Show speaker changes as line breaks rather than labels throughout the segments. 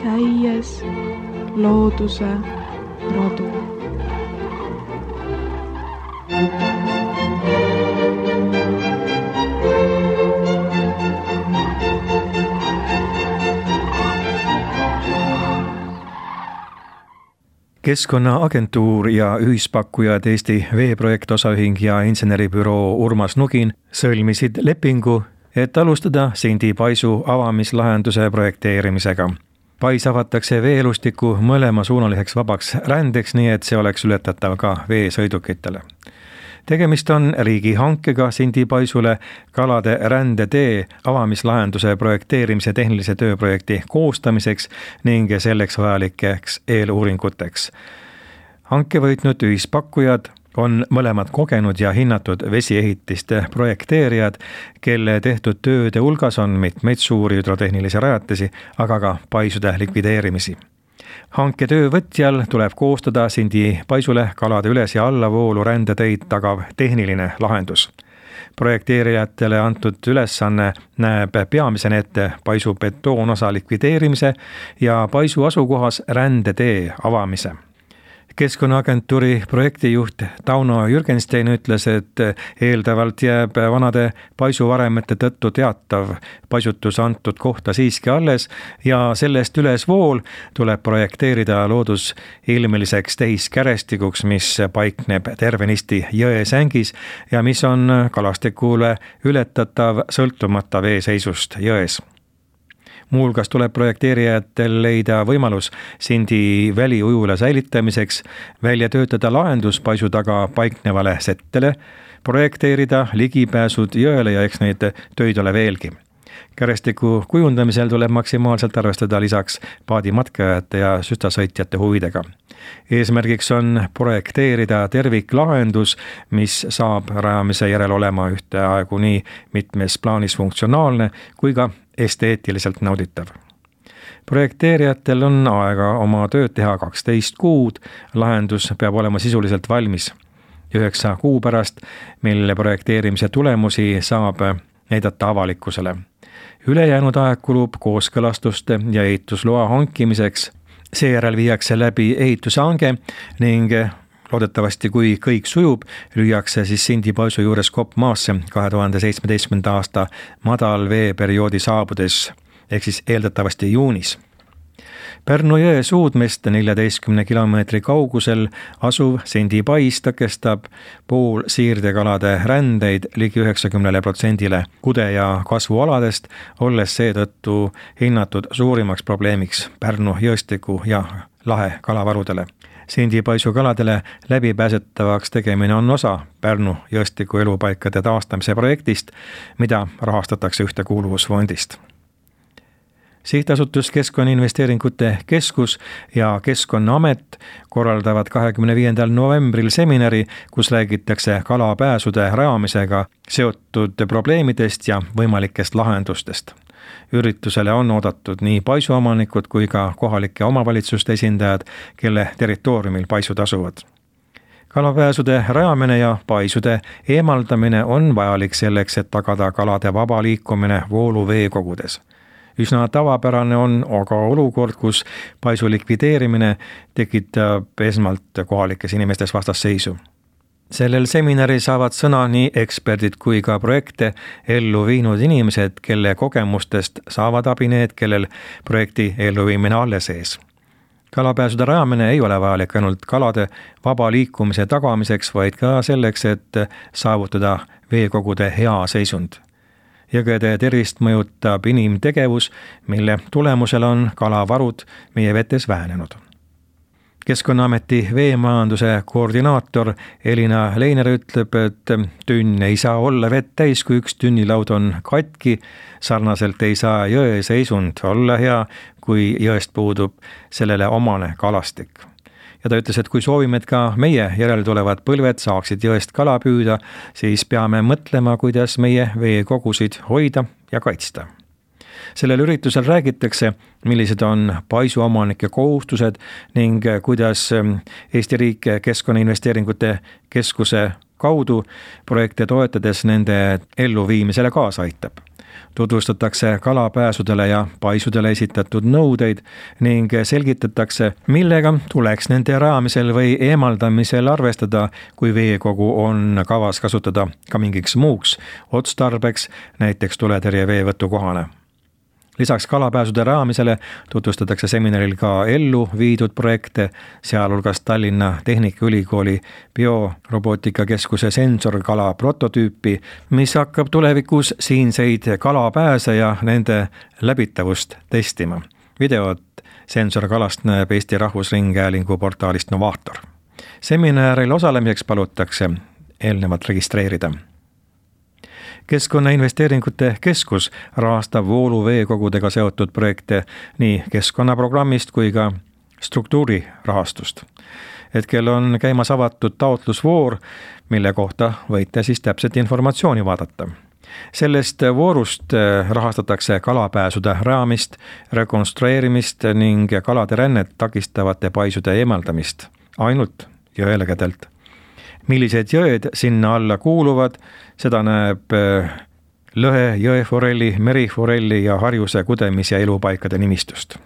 Käies looduse rodu.
Keskkonnaagentuur ja ühispakkujad Eesti veeprojekt osaühing ja inseneribüroo Urmas Nugin sõlmisid lepingu, et alustada Sindi paisu avamislahenduse projekteerimisega. Pais avatakse veeelustiku mõlemasuunaliseks vabaks rändeks, nii et see oleks ületatav ka veesõidukitele. Tegemist on riigihankega Sindi paisule kalade rändetee avamislahenduse projekteerimise tehnilise tööprojekti koostamiseks ning selleks vajalikeks eeluuringuteks. Hanke võitnud ühispakkujad on mõlemad kogenud ja hinnatud vesiehitiste projekteerijad, kelle tehtud tööde hulgas on mitmeid suuri hüdrotehnilisi rajatisi, aga ka paisude likvideerimisi. Hanke töövõtjal tuleb koostada Sindi paisule kalade üles- ja allavoolu rändeteid tagav tehniline lahendus. Projekteerijatele antud ülesanne näeb peamisena ette paisu betoonosa likvideerimise ja paisu asukohas rändetee avamise. Keskkonnaagentuuri projektijuht Tauno Jürgenstein ütles, et eeldavalt jääb vanade paisuvaremete tõttu teatav paisutus antud kohta siiski alles ja sellest ülesvool tuleb projekteerida loodusilmeliseks tehiskäresstikuks, mis paikneb tervenisti jõe sängis ja mis on kalastikule ületatav sõltumata veeseisust jões. Muuhulgas tuleb projekteerijatel leida võimalus Sindi väliujula säilitamiseks, välja töötada lahendus paisu taga paiknevale settele, projekteerida ligipääsud jõele ja eks neid töid ole veelgi. Kärestiku kujundamisel tuleb maksimaalselt arvestada lisaks paadimatkajate ja süstasõitjate huvidega. Eesmärgiks on projekteerida terviklahendus, mis saab rajamise järel olema ühteaegu nii mitmes plaanis funktsionaalne kui ka esteetiliselt nauditav. Projekteerijatel on aega oma tööd teha 12 kuud, lahendus peab olema sisuliselt valmis 9 kuu pärast, mille projekteerimise tulemusi saab näidata avalikkusele. Ülejäänud aeg kulub kooskõlastuste ja ehitusloa hankimiseks, seejärel viiakse läbi ehitushange ning loodetavasti, kui kõik sujub, lüüakse siis Sindi paisu juures kopp maasse 2017. aasta madalveeperioodi saabudes, ehk siis eeldatavasti juunis. Pärnu jõe suudmest 14 kilomeetri kaugusel asuv Sindi pais tõkestab poolsiirdekalade rändeid ligi 90% kude- ja kasvualadest, olles seetõttu hinnatud suurimaks probleemiks Pärnu jõestiku ja lahe kalavarudele. Sindi paisu kaladele läbipääsetavaks tegemine on osa Pärnu jõestiku elupaikade taastamise projektist, mida rahastatakse Ühtekuuluvusfondist. Sihtasutus Keskkonnainvesteeringute Keskus ja Keskkonnaamet korraldavad 25. novembril seminari, kus räägitakse kalapääsude rajamisega seotud probleemidest ja võimalikest lahendustest. Üritusele on oodatud nii paisuomanikud kui ka kohalike omavalitsuste esindajad, kelle territooriumil paisud asuvad. Kalapääsude rajamine ja paisude eemaldamine on vajalik selleks, et tagada kalade vaba liikumine vooluveekogudes. Üsna tavapärane on aga olukord, kus paisu likvideerimine tekitab esmalt kohalikes inimestes vastasseisu. Sellel seminaril saavad sõna nii eksperdid kui ka projekte ellu viinud inimesed, kelle kogemustest saavad abi need, kellel projekti elluviimine alles ees. Kalapääsude rajamine ei ole vajalik ainult kalade vaba liikumise tagamiseks, vaid ka selleks, et saavutada veekogude hea seisund. Jõgede tervist mõjutab inimtegevus, mille tulemusel on kalavarud meie vetes vähenenud. Keskkonnaameti veemajanduse koordinaator Elina Leiner ütleb, et tünn ei saa olla vett täis, kui üks tünnilaud on katki. Sarnaselt ei saa jõe seisund olla hea, kui jõest puudub sellele omane kalastik. Ja ta ütles, et kui soovime, et ka meie järeltulevad põlved saaksid jõest kala püüda, siis peame mõtlema, kuidas meie veekogusid hoida ja kaitsta. Sellel üritusel räägitakse, millised on paisuomanike kohustused ning kuidas Eesti riik Keskkonnainvesteeringute Keskuse kaudu projekte toetades nende elluviimisele kaasa aitab. Tutvustatakse kalapääsudele ja paisudele esitatud nõudeid ning selgitatakse, millega tuleks nende rajamisel või eemaldamisel arvestada, kui veekogu on kavas kasutada ka mingiks muuks otstarbeks, näiteks tuletõrje veevõtukohana. Lisaks kalapääsude rajamisele tutvustatakse seminaril ka ellu viidud projekte, sealhulgas Tallinna Tehnikaülikooli biorobootikakeskuse sensorkala prototüüpi, mis hakkab tulevikus siinseid kalapääse ja nende läbitavust testima. Videot sensorkalast näeb Eesti Rahvusringhäälingu portaalist Novaator. Seminaril osalemiseks palutakse eelnevalt registreerida. Keskkonnainvesteeringute keskus rahastab vooluveekogudega seotud projekte nii keskkonnaprogrammist kui ka struktuurirahastust. Hetkel on käimas avatud taotlusvoor, mille kohta võite siis täpset informatsiooni vaadata. Sellest voorust rahastatakse kalapääsude rajamist, rekonstrueerimist ning kalade rännet takistavate paisude eemaldamist ainult jõelägedelt. Millised jõed sinna alla kuuluvad, seda näeb lõhe, jõeforelli, meriforelli ja harjuse kudemis- ja elupaikade nimistust.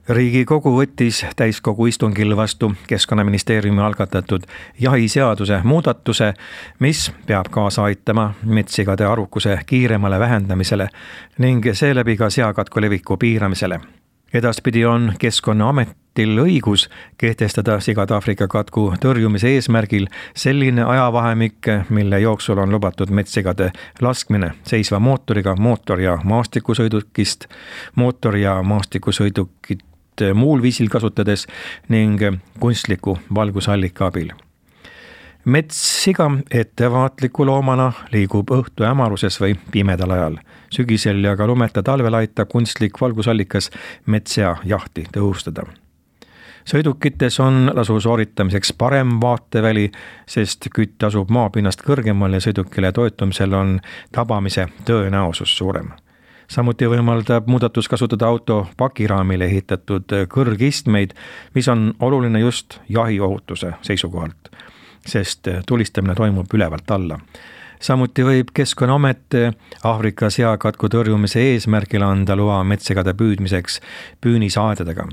Riigikogu võttis täiskogu istungil vastu Keskkonnaministeeriumi algatatud jahiseaduse muudatuse, mis peab kaasa aitama metssigade arvukuse kiiremale vähendamisele ning seeläbi ka seakatku leviku piiramisele. Edaspidi on Keskkonnaametil õigus kehtestada sigade Aafrika katku tõrjumise eesmärgil selline ajavahemik, mille jooksul on lubatud metssigade laskmine seisva mootoriga mootor- ja maastikusõidukist, mootor- ja maastikusõidukit muul viisil kasutades ning kunstliku valgusallika abil. Metssiga ettevaatliku loomana liigub õhtu hämaruses või pimedal ajal. Sügisel ja ka lumeta talvel aitab kunstlik valgusallikas metssea jahti tõhustada. Sõidukites on lasu sooritamiseks parem vaateväli, sest kütt asub maapinnast kõrgemal ja sõidukile toetumisel on tabamise tõenäosus suurem. Samuti võimaldab muudatus kasutada auto pakiraamile ehitatud kõrgistmeid, mis on oluline just jahiohutuse seisukohalt, sest tulistamine toimub ülevalt alla. Samuti võib Keskkonnaamet Aafrika seakatku tõrjumise eesmärgil anda loa metssigade püüdmiseks püünisaedadega.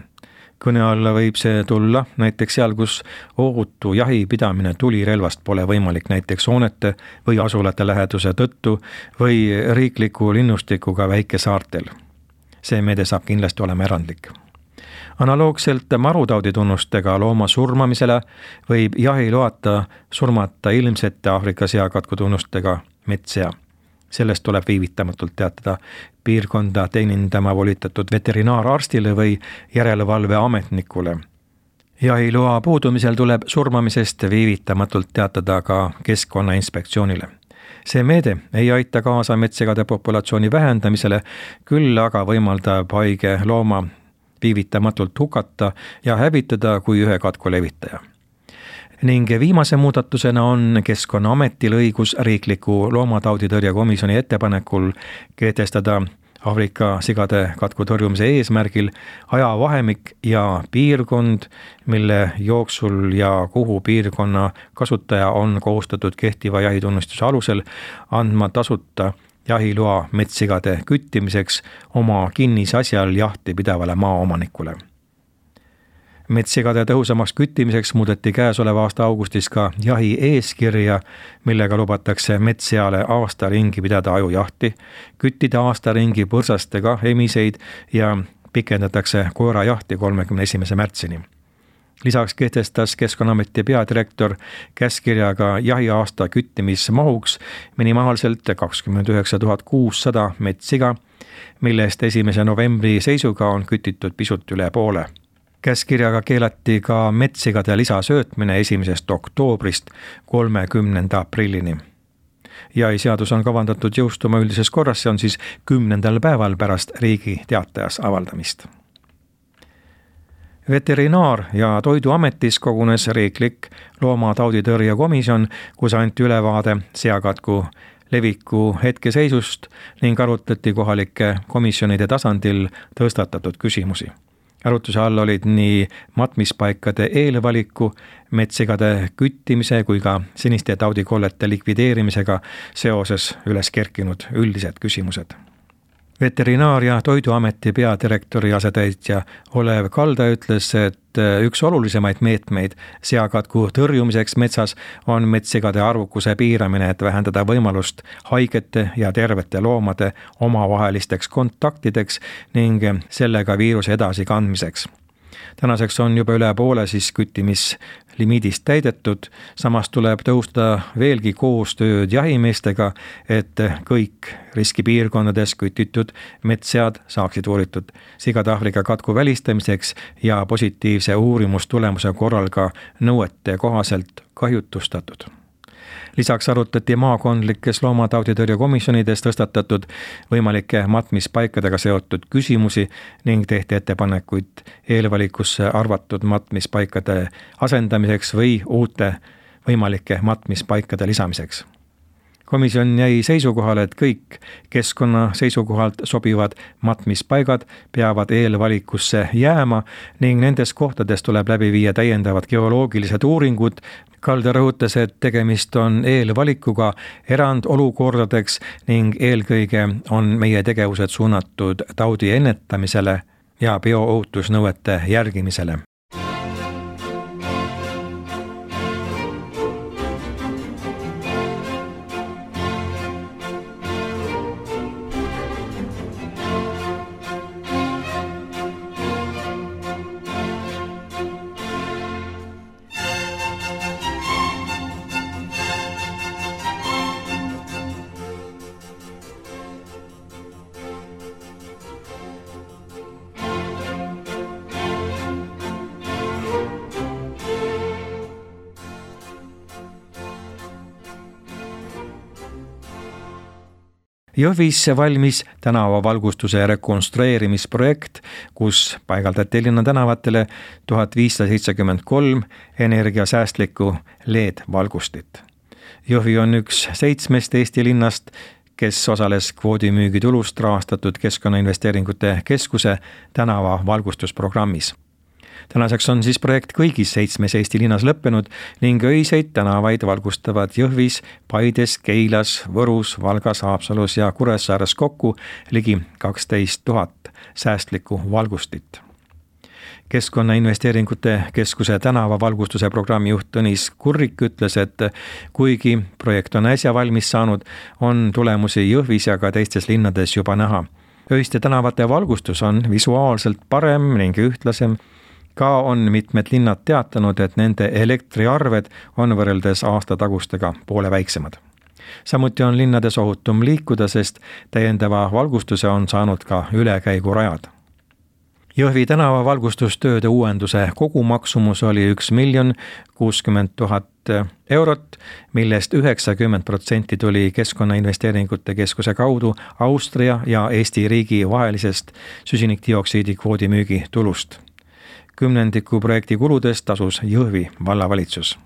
Kõne alla võib see tulla näiteks seal, kus ohutu jahi pidamine tulirelvast pole võimalik näiteks hoonete või asulate läheduse tõttu või riikliku linnustikuga väikesaartel. See meede saab kindlasti olema erandlik. Analoogselt marutauditunnustega looma surmamisele võib jahiloata surmata ilmsete Aafrika seakatku tunnustega metssea. Sellest tuleb viivitamatult teatada piirkonda teenindama volitatud veterinaararstile või järelevalveametnikule. Jahiloa puudumisel tuleb surmamisest viivitamatult teatada ka Keskkonnainspektsioonile. See meede ei aita kaasa metssigade populatsiooni vähendamisele, küll aga võimaldab haige looma viivitamatult hukata ja hävitada kui ühe katku levitaja. Ning viimase muudatusena on Keskkonnaametil õigus riikliku loomatauditõrje komisjoni ettepanekul kehtestada Aafrika sigade katku tõrjumise eesmärgil ajavahemik ja piirkond, mille jooksul ja kuhu piirkonna kasutaja on kohustatud kehtiva jahitunnistuse alusel andma tasuta jahiloa metssigade küttimiseks oma kinnisasjal jahti pidavale maaomanikule. Metssigade tõhusamaks küttimiseks muudeti käesoleva aasta augustis ka jahi eeskirja, millega lubatakse metsseale aasta ringi pidada ajujahti, küttida aasta ringi põrsastega emiseid ja pikendatakse koerajahti 31. märtsini. Lisaks kehtestas Keskkonnaameti peadirektor käskkirjaga jahiaasta küttimismahuks minimaalselt 29 600 metssiga, millest 1. novembri seisuga on kütitud pisut üle poole. Käskkirjaga keelati ka metssigade lisasöötmine 1. oktoobrist 30. aprillini. Jahiseadus on kavandatud jõustuma üldises korras, see on siis 10. päeval pärast Riigi Teatajas avaldamist. Veterinaar- ja Toiduametis kogunes riiklik loomatauditõrje komisjon, kus anti ülevaade seakatku leviku hetkeseisust ning arutati kohalike komisjonide tasandil tõstatatud küsimusi. Arutluse all olid nii matmispaikade eelvaliku, metssigade küttimise kui ka seniste taudikollete likvideerimisega seoses üles kerkinud üldised küsimused. Veterinaar- ja Toiduameti peadirektori asetäitja Olev Kalda ütles, et üks olulisemaid meetmeid seakatku tõrjumiseks metsas on metssigade arvukuse piiramine, et vähendada võimalust haigete ja tervete loomade omavahelisteks kontaktideks ning sellega viiruse edasikandmiseks. Tänaseks on juba üle poole siis küttimissimiidist täidetud, samas tuleb tõhustada veelgi koostööd jahimeestega, et kõik riskipiirkondades kütitud metssead saaksid uuritud sigatahvliga katku välistamiseks ja positiivse uurimustulemuse korral ka nõuete kohaselt kahjutustatud. Lisaks arutati maakondlikes loomatauditõrje komisjonides tõstatatud võimalike matmispaikadega seotud küsimusi ning tehti ettepanekuid eelvalikusse arvatud matmispaikade asendamiseks või uute võimalike matmispaikade lisamiseks. Komisjon jäi seisukohale, et kõik keskkonna seisukohalt sobivad matmispaigad peavad eelvalikusse jääma ning nendes kohtades tuleb läbi viia täiendavad geoloogilised uuringud. Kalda rõhutas, et tegemist on eelvalikuga erandolukordadeks ning eelkõige on meie tegevused suunatud taudi ennetamisele ja bioohutusnõuete järgimisele. Jõhvis valmis tänavavalgustuse rekonstrueerimisprojekt, kus paigaldati linna tänavatele 1573 energiasäästlikku LED-valgustit. Jõhvi on üks 7 Eesti linnast, kes osales kvoodimüügitulust rahastatud Keskkonnainvesteeringute Keskuse tänavavalgustusprogrammis. Tänaseks on siis projekt kõigis 7 Eesti linnas lõppenud ning öiseid tänavaid valgustavad Jõhvis, Paides, Keilas, Võrus, Valgas, Haapsalus ja Kuressaares kokku ligi 12 000 säästlikku valgustit. Keskkonnainvesteeringute Keskuse tänavavalgustuse programmi juht Tõnis Kurrik ütles, et kuigi projekt on äsja valmis saanud, on tulemusi Jõhvis ja ka teistes linnades juba näha. Öiste tänavate valgustus on visuaalselt parem ning ühtlasem. Ka on mitmed linnad teatanud, et nende elektriarved on võrreldes aastatagustega poole väiksemad. Samuti on linnades ohutum liikuda, sest täiendava valgustuse on saanud ka ülekäigurajad. Jõhvi tänavavalgustustööde uuenduse kogumaksumus oli 1 060 000 eurot, millest 90% tuli Keskkonnainvesteeringute Keskuse kaudu Austria ja Eesti riigi vahelisest süsinikdioksiidi kvoodimüügi tulust. 10% projekti kuludest tasus Jõhvi vallavalitsus.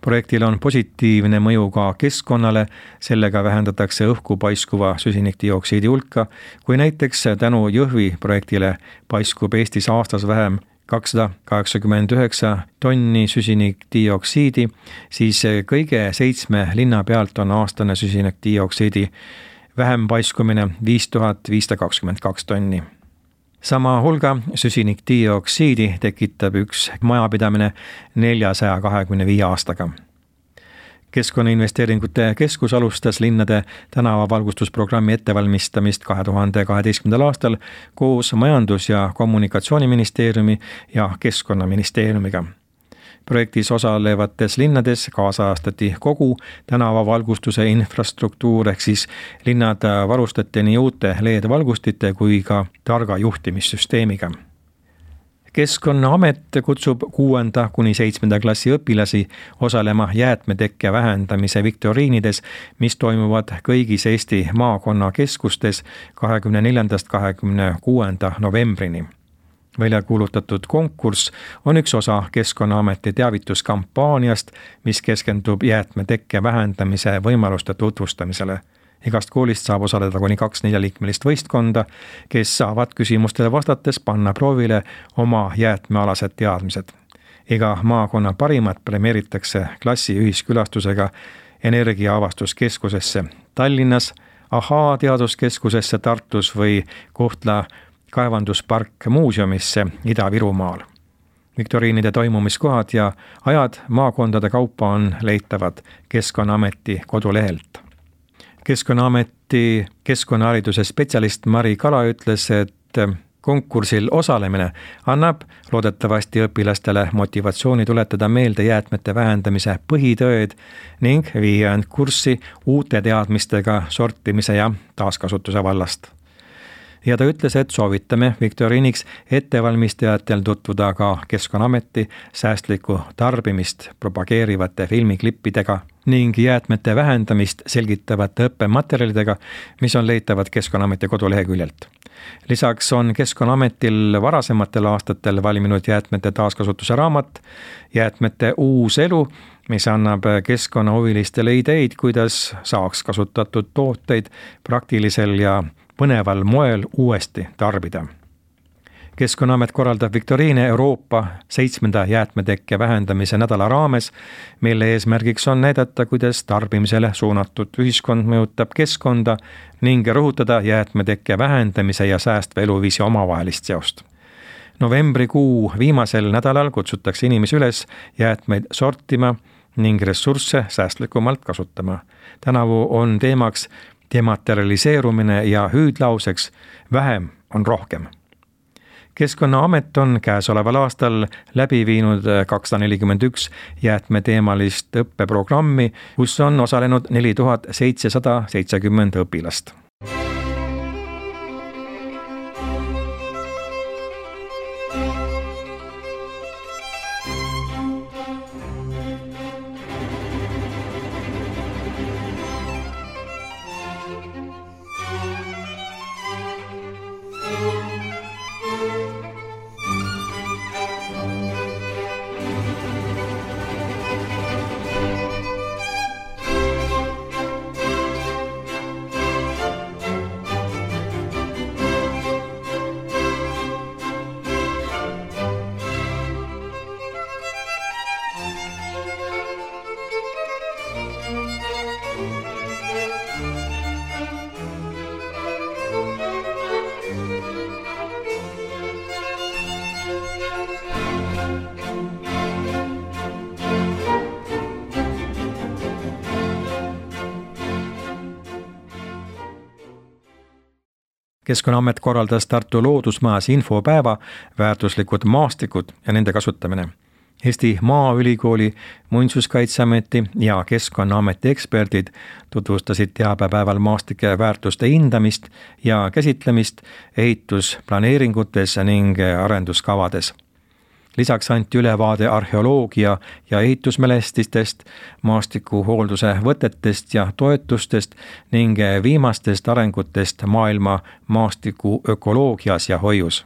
Projektil on positiivne mõju ka keskkonnale, sellega vähendatakse õhku paiskuva süsinikdioksiidi hulka, kui näiteks tänu Jõhvi projektile paiskub Eestis aastas vähem 289 tonni süsinikdioksiidi, siis kõige 7 linna pealt on aastane süsinikdioksiidi vähem paiskumine 5522 tonni. Sama hulga süsinikdioksiidi tekitab üks majapidamine 425 aastaga. Keskkonnainvesteeringute Keskus alustas linnade tänavavalgustusprogrammi ettevalmistamist 2012. aastal koos Majandus- ja Kommunikatsiooniministeeriumi ja Keskkonnaministeeriumiga. Projektis osalevates linnades kaasajastati kogu tänavavalgustuse infrastruktuur, ehk siis linnad varustati nii uute LED-valgustite kui ka targa juhtimissüsteemiga. Keskkonnaamet kutsub 6. kuni 7. klassi õpilasi osalema jäätmetekke vähendamise viktoriinides, mis toimuvad kõigis Eesti maakonnakeskustes 24.–26. novembrini. Välja kuulutatud konkurss on üks osa Keskkonnaameti teavituskampaaniast, mis keskendub jäätmetekke vähendamise võimaluste tutvustamisele. Igast koolist saab osaleda kuni 2 4-liikmelist võistkonda, kes saavad küsimustele vastates panna proovile oma jäätmealased teadmised. Iga maakonna parimad premeeritakse klassi ühiskülastusega Energiaavastuskeskusesse Tallinnas, Ahaa teaduskeskusesse Tartus või Kohtla kaevanduspark muuseumisse Ida-Virumaal. Viktoriinide toimumiskohad ja ajad maakondade kaupa on leitavad Keskkonnaameti kodulehelt. Keskkonnaameti keskkonnahariduse spetsialist Mari Kala ütles, et konkursil osalemine annab loodetavasti õpilastele motivatsiooni tuletada meelde jäätmete vähendamise põhitõed ning viia end kurssi uute teadmistega sortimise ja taaskasutuse vallast. Ja ta ütles, et soovitame viktoriiniks ettevalmistajatel tutvuda ka Keskkonnaameti säästlikku tarbimist propageerivate filmiklippidega ning jäätmete vähendamist selgitavate õppematerjalidega, mis on leitavad Keskkonnaameti koduleheküljelt. Lisaks on Keskkonnaametil varasematel aastatel valminud jäätmete taaskasutuse raamat Jäätmete uus elu, mis annab keskkonnahuvilistele ideid, kuidas saaks kasutatud tooteid praktilisel ja põneval moel uuesti tarbida. Keskkonnaamet korraldab viktoriine Euroopa 7. jäätmetekke vähendamise nädala raames, mille eesmärgiks on näidata, kuidas tarbimisele suunatud ühiskond mõjutab keskkonda ning rõhutada jäätmetekke vähendamise ja säästva eluviisi omavahelist seost. Novembrikuu viimasel nädalal kutsutakse inimesi üles jäätmeid sortima ning ressursse säästlikumalt kasutama. Tänavu on teemaks dematerialiseerumine ja hüüdlauseks vähem on rohkem. Keskkonnaamet on käesoleval aastal läbi viinud 241 jäätmeteemalist õppeprogrammi, kus on osalenud 4770 õpilast. Keskkonnaamet korraldas Tartu Loodusmajas infopäeva väärtuslikud maastikud ja nende kasutamine. Eesti Maaülikooli, Muinsuskaitseameti ja Keskkonnaameti eksperdid tutvustasid teabepäeval maastike väärtuste hindamist ja käsitlemist ehitusplaneeringutes ning arenduskavades. Lisaks anti ülevaade arheoloogia ja ehitusmälestistest, maastikuhoolduse võtetest ja toetustest ning viimastest arengutest maailma maastiku ökoloogias ja hoius.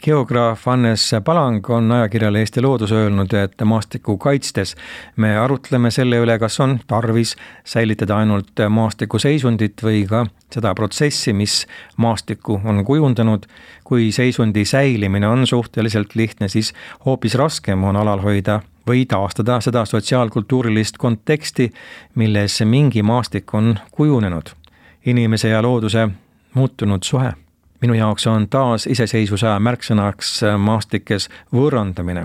Geograaf Hannes Palang on ajakirjale Eesti Loodus öelnud, et maastikku kaitstes me arutleme selle üle, kas on tarvis säilitada ainult maastiku seisundit või ka seda protsessi, mis maastikku on kujundanud. Kui seisundi säilimine on suhteliselt lihtne, siis hoopis raskem on alal hoida või taastada seda sotsiaalkultuurilist konteksti, milles mingi maastik on kujunenud. Inimese ja looduse muutunud suhe. Minu jaoks on taas iseseisvuse märksõnaks maastikes võõrandamine.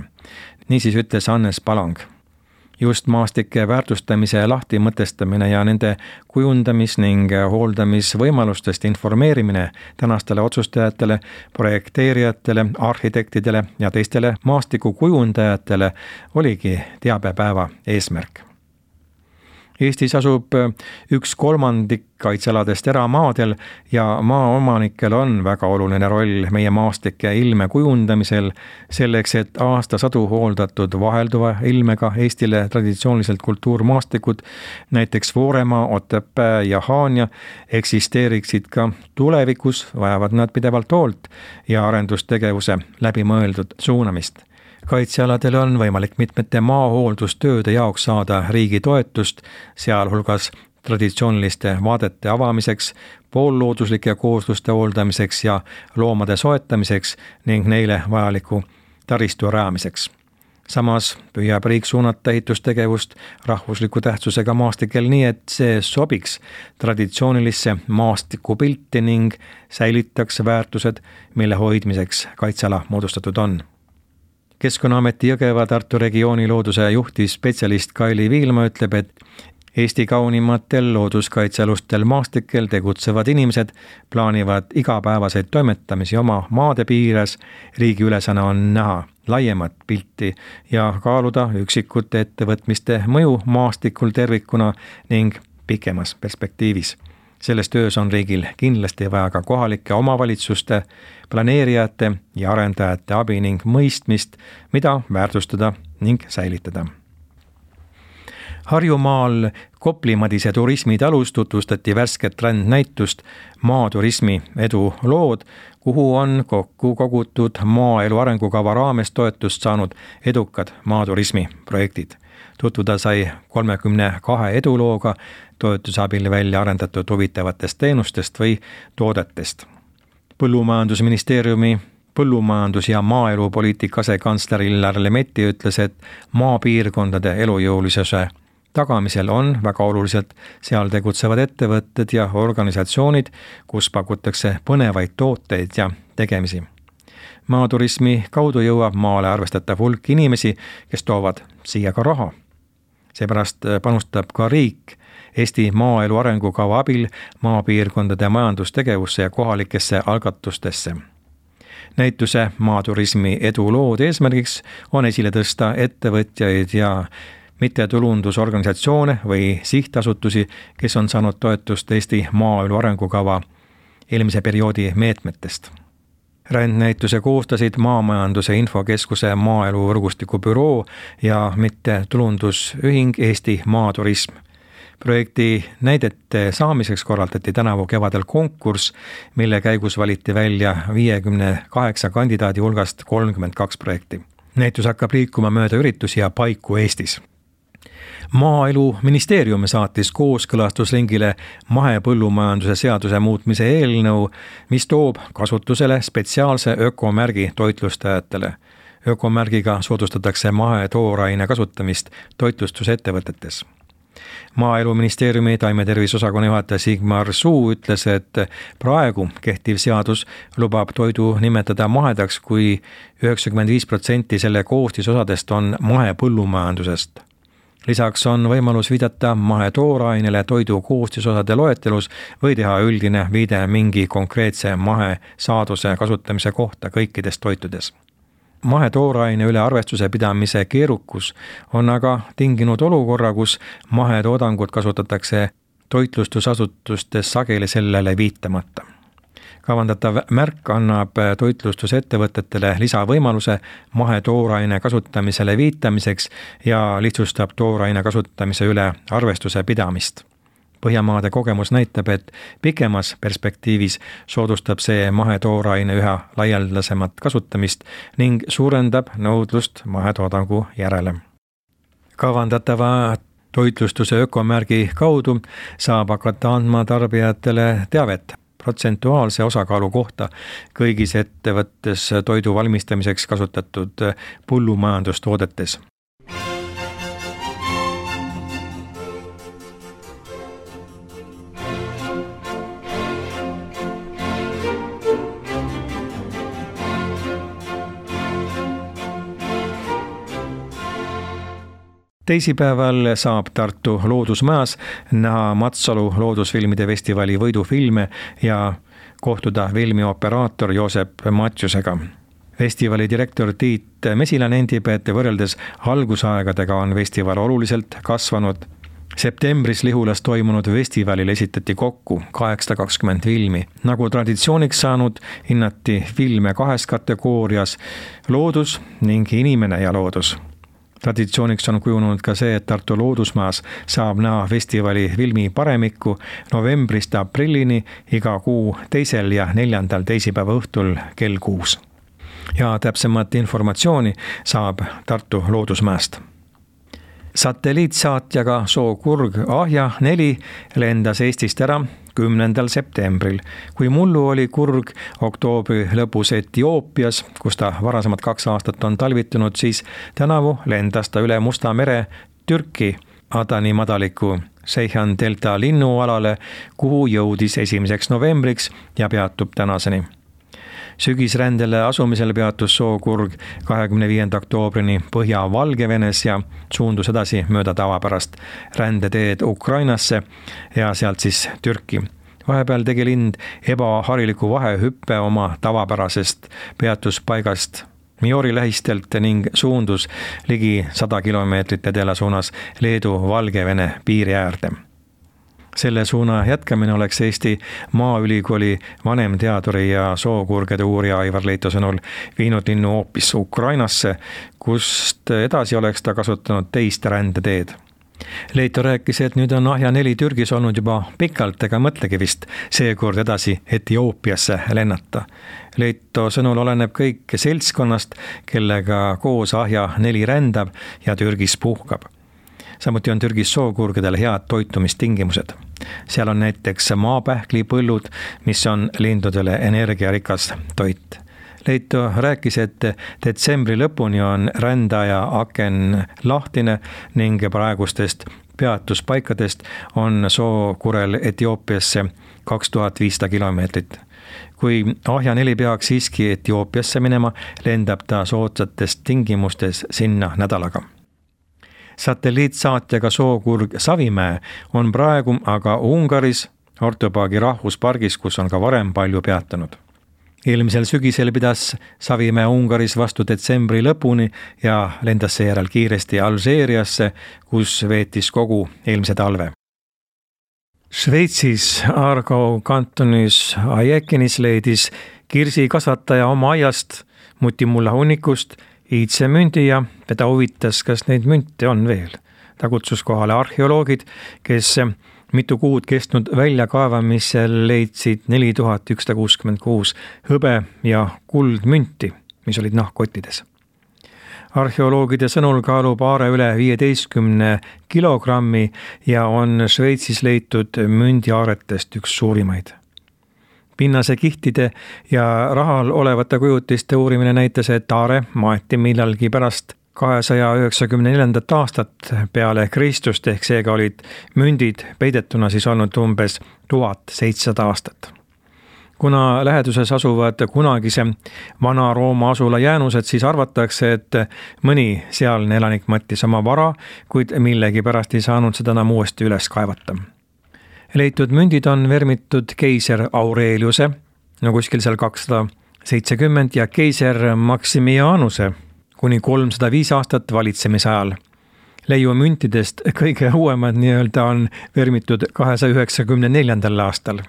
Niisiis ütles Hannes Palang. Just maastike väärtustamise lahtimõtestamine ja nende kujundamis- ning hooldamisvõimalustest informeerimine tänastele otsustajatele, projekteerijatele, arhitektidele ja teistele maastikukujundajatele oligi teabepäeva eesmärk. Eestis asub 1/3 kaitsealadest eramaadel ja maaomanikel on väga oluline roll meie maastike ilme kujundamisel selleks, et aastasadu hooldatud vahelduva ilmega Eestile traditsiooniliselt kultuurmaastikud, näiteks Vooremaa, Otepää ja Haanja, eksisteeriksid ka tulevikus, vajavad nad pidevalt hoolt ja arendustegevuse läbimõeldud suunamist. Kaitsealadel on võimalik mitmete maahooldustööde jaoks saada riigi toetust, sealhulgas traditsiooniliste vaadete avamiseks, poollooduslike koosluste hooldamiseks ja loomade soetamiseks ning neile vajaliku taristu rajamiseks. Samas püüab riik suunata ehitustegevust rahvusliku tähtsusega maastikel nii, et see sobiks traditsioonilisse maastikupilti ning säilitaks väärtused, mille hoidmiseks kaitseala moodustatud on. Keskkonnaameti Jõgeva-Tartu regiooni looduse juhtivspetsialist Kaili Viilma ütleb, et Eesti kaunimatel looduskaitsealustel maastikel tegutsevad inimesed plaanivad igapäevaseid toimetamisi oma maade piires. Riigi ülesanne on näha laiemat pilti ja kaaluda üksikute ettevõtmiste mõju maastikul tervikuna ning pikemas perspektiivis. Selles töös on riigil kindlasti vaja ka kohalike omavalitsuste, planeerijate ja arendajate abi ning mõistmist, mida väärtustada ning säilitada. Harjumaal Kopli-Madise turismitalus tutvustati värsket rändnäitust maaturismi edulood, kuhu on kokku kogutud maaelu arengukava raames toetust saanud edukad maaturismi projektid. Tutvuda sai 32 edulooga toetuse abil välja arendatud huvitavatest teenustest või toodetest. Põllumajandusministeeriumi põllumajandus- ja maaelupoliitika asekantsler Illar Lemetti ütles, et maapiirkondade elujõulisuse tagamisel on väga oluliselt seal tegutsevad ettevõtted ja organisatsioonid, kus pakutakse põnevaid tooteid ja tegemisi. Maaturismi kaudu jõuab maale arvestatav hulk inimesi, kes toovad siia ka raha. Seepärast panustab ka riik Eesti maaelu arengukava abil maapiirkondade majandustegevusse ja kohalikesse algatustesse. Näituse maaturismi edulood eesmärgiks on esile tõsta ettevõtjaid ja mittetulundusorganisatsioone või sihtasutusi, kes on saanud toetust Eesti maaelu arengukava eelmise perioodi meetmetest. Rändnäituse koostasid Maamajanduse Infokeskuse maaelu võrgustiku büroo ja mittetulundusühing Eesti Maaturism. Projekti näidete saamiseks korraldati tänavu kevadel konkurss, mille käigus valiti välja 58 kandidaadi hulgast 32 projekti. Näitus hakkab liikuma mööda üritusi ja paiku Eestis. Maaeluministeerium saatis kooskõlastusringile mahepõllumajanduse seaduse muutmise eelnõu, mis toob kasutusele spetsiaalse ökomärgi toitlustajatele. Ökomärgiga soodustatakse mahetooraine kasutamist toitlustusettevõtetes. Maaeluministeeriumi taimetervisosakonna juhataja Sigmar Suu ütles, et praegu kehtiv seadus lubab toidu nimetada mahedaks, kui 95% selle koostisosadest on mahepõllumajandusest. Lisaks on võimalus viidata mahetoorainele toidu koostisosade loetelus või teha üldine viide mingi konkreetse mahesaaduse kasutamise kohta kõikides toitudes. Mahetooraine üle arvestuse pidamise keerukus on aga tinginud olukorra, kus mahetoodangut kasutatakse toitlustusasutustes sageli sellele viitamata. Kavandatav märk annab toitlustusettevõtetele lisavõimaluse mahetooraine kasutamisele viitamiseks ja lihtsustab tooraine kasutamise üle arvestuse pidamist. Põhjamaade kogemus näitab, et pikemas perspektiivis soodustab see mahetooraine üha laialdasemat kasutamist ning suurendab nõudlust mahetoodangu järele. Kavandatava toitlustuse ökomärgi kaudu saab hakata andma tarbijatele teavet protsentuaalse osakaalu kohta kõigis ettevõttes toidu valmistamiseks kasutatud põllumajandustoodetes. Teisipäeval saab Tartu Loodusmajas näha Matsalu loodusfilmide festivali võidufilme ja kohtuda filmioperaator Joosep Matjusega. Festivali direktor Tiit Mesila nendib, et võrreldes algusaegadega on festival oluliselt kasvanud. Septembris Lihulas toimunud festivalil esitati kokku 820 filmi. Nagu traditsiooniks saanud, hinnati filme 2 kategoorias: loodus ning inimene ja loodus. Traditsiooniks on kujunud ka see, et Tartu Loodusmajas saab näha festivali filmi paremikku novembrist aprillini iga kuu 2. ja 4. teisipäeva õhtul kell 6. Ja täpsemat informatsiooni saab Tartu Loodusmäest. Satelliitsaatjaga Sookurg Ahja 4 lendas Eestist ära 10. septembril. Kui mullu oli kurg oktoobri lõpus Etioopias, kus ta varasemad 2 aastat on talvitunud, siis tänavu lendas ta üle Musta mere Türki Adani madaliku Seyhan delta linnualale, kuhu jõudis 1. novembriks ja peatub tänaseni. Sügisrändele asumisel peatus Sookurg 25. oktoobrini Põhja-Valgevenes ja suundus edasi mööda tavapärast rändeteed Ukrainasse ja sealt siis Türki. Vahepeal tegi lind ebahariliku vahehüppe oma tavapärasest peatuspaigast Miori lähistelt ning suundus ligi 100 kilomeetrit edela suunas Leedu-Valgevene piiri äärde. Selle suuna jätkamine oleks Eesti Maaülikooli vanemteaduri ja sookurgede uurija Aivar Leito sõnul viinud linnu hoopis Ukrainasse, kust edasi oleks ta kasutanud teist rändeteed. Leito rääkis, et nüüd on Ahja 4 Türgis olnud juba pikalt ega mõtlegi vist seekord edasi Etioopiasse lennata. Leito sõnul oleneb kõik seltskonnast, kellega koos Ahja 4 rändab ja Türgis puhkab. Samuti on Türgis sookurgedel head toitumistingimused. Seal on näiteks maapähklipõllud, mis on lindudele energiarikas toit. Leito rääkis, et detsembri lõpuni on rändaja aken lahtine ning praegustest peatuspaikadest on sookurel Etioopiasse 2500 kilomeetrit. Kui Ahja 4 peaks siiski Etioopiasse minema, lendab ta soodsates tingimustes sinna nädalaga. Satelliitsaatjaga Sookurg Savimäe on praegu aga Ungaris Ortopaagi rahvuspargis, kus on ka varem palju peatanud. Eelmisel sügisel pidas Savimäe Ungaris vastu detsembri lõpuni ja lendas seejärel kiiresti Alžeeriasse, kus veetis kogu eelmise talve. Šveitsis Aargau kantonis Aiekenis leidis kirsikasvataja oma aiast mutimulla hunnikust iidse mündi ja teda huvitas, kas neid münte on veel. Ta kutsus kohale arheoloogid, kes mitu kuud kestnud väljakaevamisel leidsid 4166 hõbe ja kuldmünti, mis olid nahkkottides. Arheoloogide sõnul kaalub aare üle 15 kilogrammi ja on Šveitsis leitud mündiaaretest üks suurimaid. Pinnase kihtide ja rahal olevate kujutiste uurimine näitas, et aare maeti millalgi pärast 294. aastat peale Kristust, ehk seega olid mündid peidetuna siis olnud umbes 1700 aastat. Kuna läheduses asuvad kunagise Vana-Rooma asula jäänused, siis arvatakse, et mõni sealne elanik mõttis oma vara, kuid millegi pärast ei saanud seda enam uuesti üles kaevata. Leitud mündid on vermitud keiser Aureliuse, kuskil seal 270, ja keiser Maximianuse kuni 305 aastat valitsemise ajal. Leiu müntidest kõige uuemad nii-öelda on vermitud 294. aastal.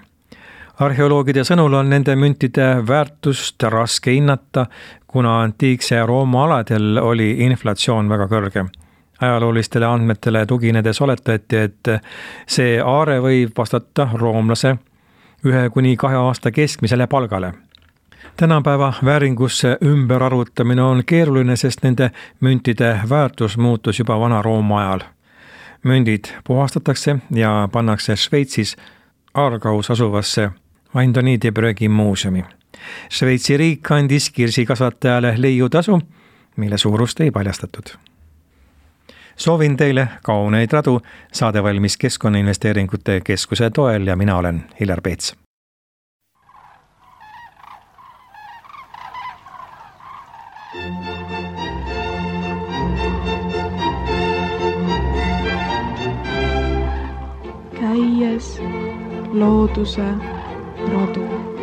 Arheoloogide sõnul on nende müntide väärtust raske hinnata, kuna antiikse Rooma aladel oli inflatsioon väga kõrge. Ajaloolistele andmetele tuginedes oletati, et see aare võib vastata roomlase 1-2 aasta keskmisele palgale. Tänapäeva vääringusse ümberarvutamine on keeruline, sest nende müntide väärtus muutus juba Vana-Rooma ajal. Mündid puhastatakse ja pannakse Šveitsis Aargaus asuvasse Vaindoni de Brüggi muuseumi. Šveitsi riik andis kirsikasvatajale leiutasu, mille suurust ei paljastatud. Soovin teile kauneid radu, saade valmis Keskkonnainvesteeringute Keskuse toel ja mina olen Hillar Peets.
Käies looduse radu.